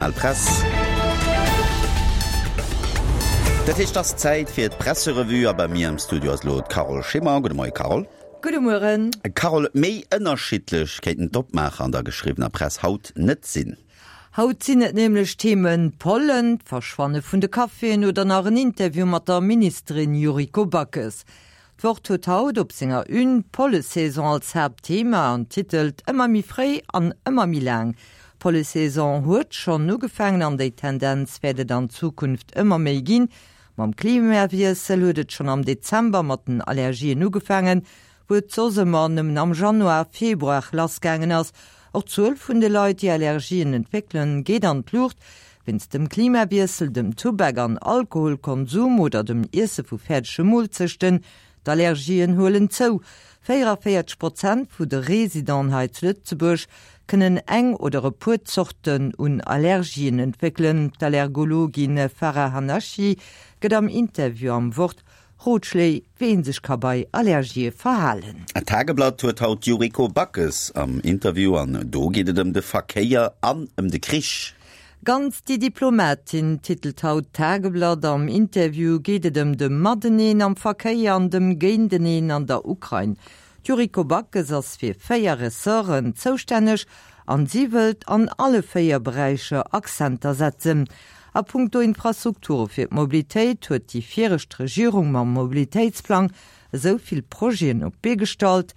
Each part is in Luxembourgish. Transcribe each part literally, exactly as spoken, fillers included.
Al Press. Dat heescht, et ass Zäit fir d'Presserevue a bei mir am Studio ass elo d'Carole Schimmer. Gudde Moie Carole. Gudde Mueren. Carole, méi ënnerschiddlech kéinten d'Opmaacher an der geschriwwener Press haut net sinn. Haut sinn et nämlech d'Themen Pollen, d'Verschwanne vun de Caféen oder nach en Interview mat der Ministerin Yuriko Backes. D'Wort huet haut op senger Une d'Pollesaison als Haaptthema an titelt Ëmmer méi fréi an ëmmer méi laang. D'Pollesaison huet schonn ugefaangen an déi Tendenz wäert et an Zukunft ëmmer méi ginn. Mam Klimawiessel huet et schonn am Dezember mat den Allergien ugefaangen, wou et soss ëmmer nëmmen am Januar, Februar lassgaangen ass. Och d'Zuel vun de Leit, déi Allergien entwéckelen, geet an d'Luucht. Wéinst dem Klimawiessel, dem Tubak an Alkoholkonsum oder dem Iesse vu fäerdege Moolzechten. D'Allergien huelen zou. véieranvéierzeg Prozent vu de Residenten hei zu Lëtzebuerg kënnen eng oder e puer Zorten un Allergien entwéckelen. D'Allergologin Farah Hannachi gëtt am Interview am Wort Rotschléi, wéi ee sech ka bei Allergië verhalen. D'Tageblatt huet haut d'Yuriko Backes am Interview an do geet et ëm de Verkéier an ëm de Krich. Ganz die Diplomatin titelt haut d'Tageblatt. Am Interview geet et ëm de Mateneen am Verkéier an dem Géinteneen an der Ukrain. D'Yuriko Backes ass fir véier Ressorten zoustänneg an si wëllt an alle véier Beräicher Accenter setzen. A punkto Infrastrukture fir d'Mobilitéit huet déi viregt Regierung mam Mobilitéitsplang esou vill Projeten op d'Bee gestallt,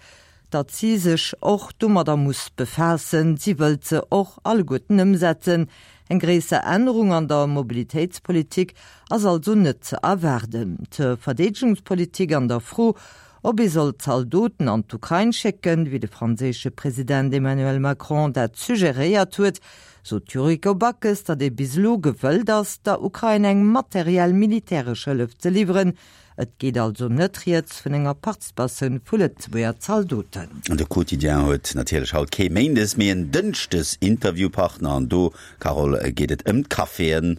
datt si sech och domadder muss befaassen. Si wëllt se och alleguerten ëmsetzen. Eng gréisser Ännerung an der Mobilitéitspolitik ass also net ze erwaarden. Zur Verdeedegungspolitik an der Fro, ob ee soll Zaldoten an d'Ukrain schécken, wéi de franséische President Emmanuel Macron dat suggeréiert huet, sot d'Yuriko Backes, datt ee bis elo gewëllt ass, der Ukrain eng materiell militäresch Hëllef ze liwweren. Et geet also net rieds vun enger Participatioun vu Lëtzebuerger Zaldoten. De Quotidien huet natierlech haut kee Méindes, mee en Dënschdes Interviewpartner an do, Carole, geet et ëm d'Caféen.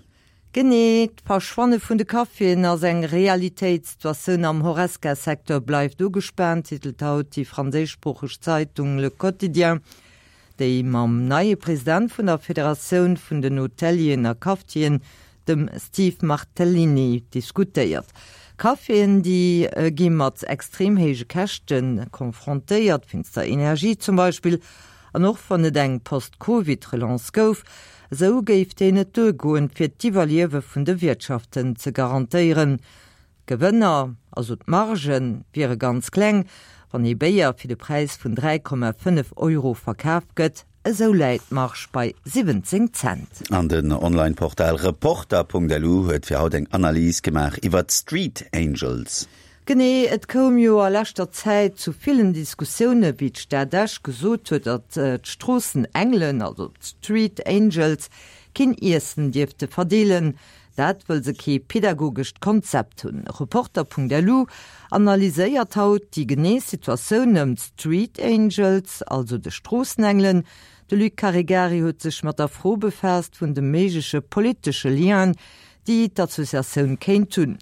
Genee, d'Verschwanne vun de Caféen ass eng Realitéit. D'Situatioun am Horesca-Secteur bleift ugespaant, titelt haut déi franséischsproocheg Zeitung Le Quotidien. Déi mam neie President vun der Federatioun vun den Hotelieren a Cafetieren, dem Steve Martellini, diskutéiert. Caféen, déi gi mat extrem héije Käschte konfrontéiert, wéinst der Energie zum Beispill. An och wann et eng Post-Covid-Relance gouf, esou géif déi net duergoen, fir d'Iwwerliewe vun de Wiertschaften ze garantéieren. D'Gewënner, also d'Margen, wiere ganz kleng, wann ee Béier fir de Präis vun dräi Komma fënnef Euro verkaf gëtt, esou läit d'Marge bei siwwenzéng Cent. An den Online-Portal Reporter.lu huet fir haut eng Analys gemaach iwwer d'Street Angels. Genee, et koum jo a leschter Zäit zu villen Diskussioune wéi d'Stad Esch gesot huet, datt d'Stroossenengelen, also d'Street Angels, keen Iessen dierfte verdeelen. Dat wëll se kee pedagogescht Konzept hunn. Reporter.lu analyséiert haut déi genee Situatioun ëm d'Street Angels, also de Stroossenengelen. De Luc Caregari huet sech mat der Fro befaasst vun de méigleche politesche Lienen, déi d'Associatioun kéint hunn.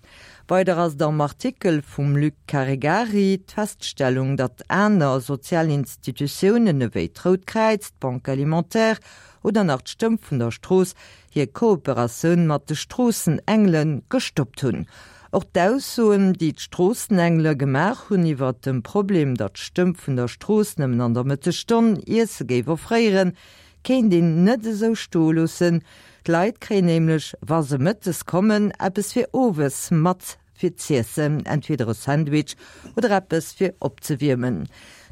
Weider ass et am Artikel vum Luc Caregari d'Feststellung, datt aner sozial Institutiounen ewéi d'Rout Kräiz, d'Banque Alimentaire oder nach d'Stëmm vun der Strooss hir Kooperatioun mat de Stroossenengele gestoppt hunn. Och d'Aussoen, déi d'Stroossenengele gemaach hunn iwwert dem Problem, datt d'Stëmm vun der Strooss nëmmen an der Mëttesstonn Iesse géif offréieren, kéint een net esou stoe loossen. D'Leit kréien nämlech, wa se mëttes kommen, eppes fir owes mat fir z'iessen, entweder e Sandwich oder eppes fir opzewiermen.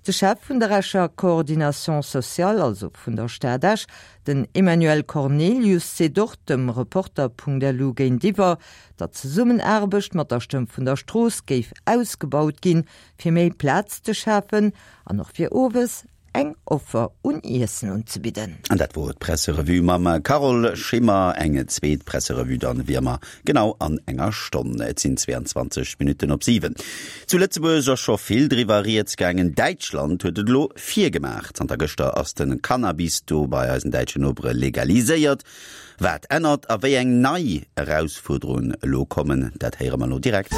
De Chef vun der Escher Coordination sociale, also vun der Stad Esch, den Emmanuel Cornelius, seet och dem Reporter.lu géintiwwer, datt d'Zesummenaarbecht mat der Stëmm vun der Strooss géif ausgebaut ginn, fir méi Plaz ze schafen an och fir owes eng Offer un Iessen unzebidden. An dat wor d'Presserevue mam Carole Schimmer. Eng zweet Presserevue dann wéi ëmmer genau an enger Stonn. Et sinn zweiundzwanzeg Minutten op siwen. Zu Lëtzebuerg ass scho vill driwwer rieds gaangen. Däitschland huet et elo virgemaach. Zanter gëschter ass de Cannabis do bei eisen däitschen Nopere legaliséiert. Wat ännert a wéi eng nei Erausfuerderungen elo kommen, dat héiere mer elo direkt.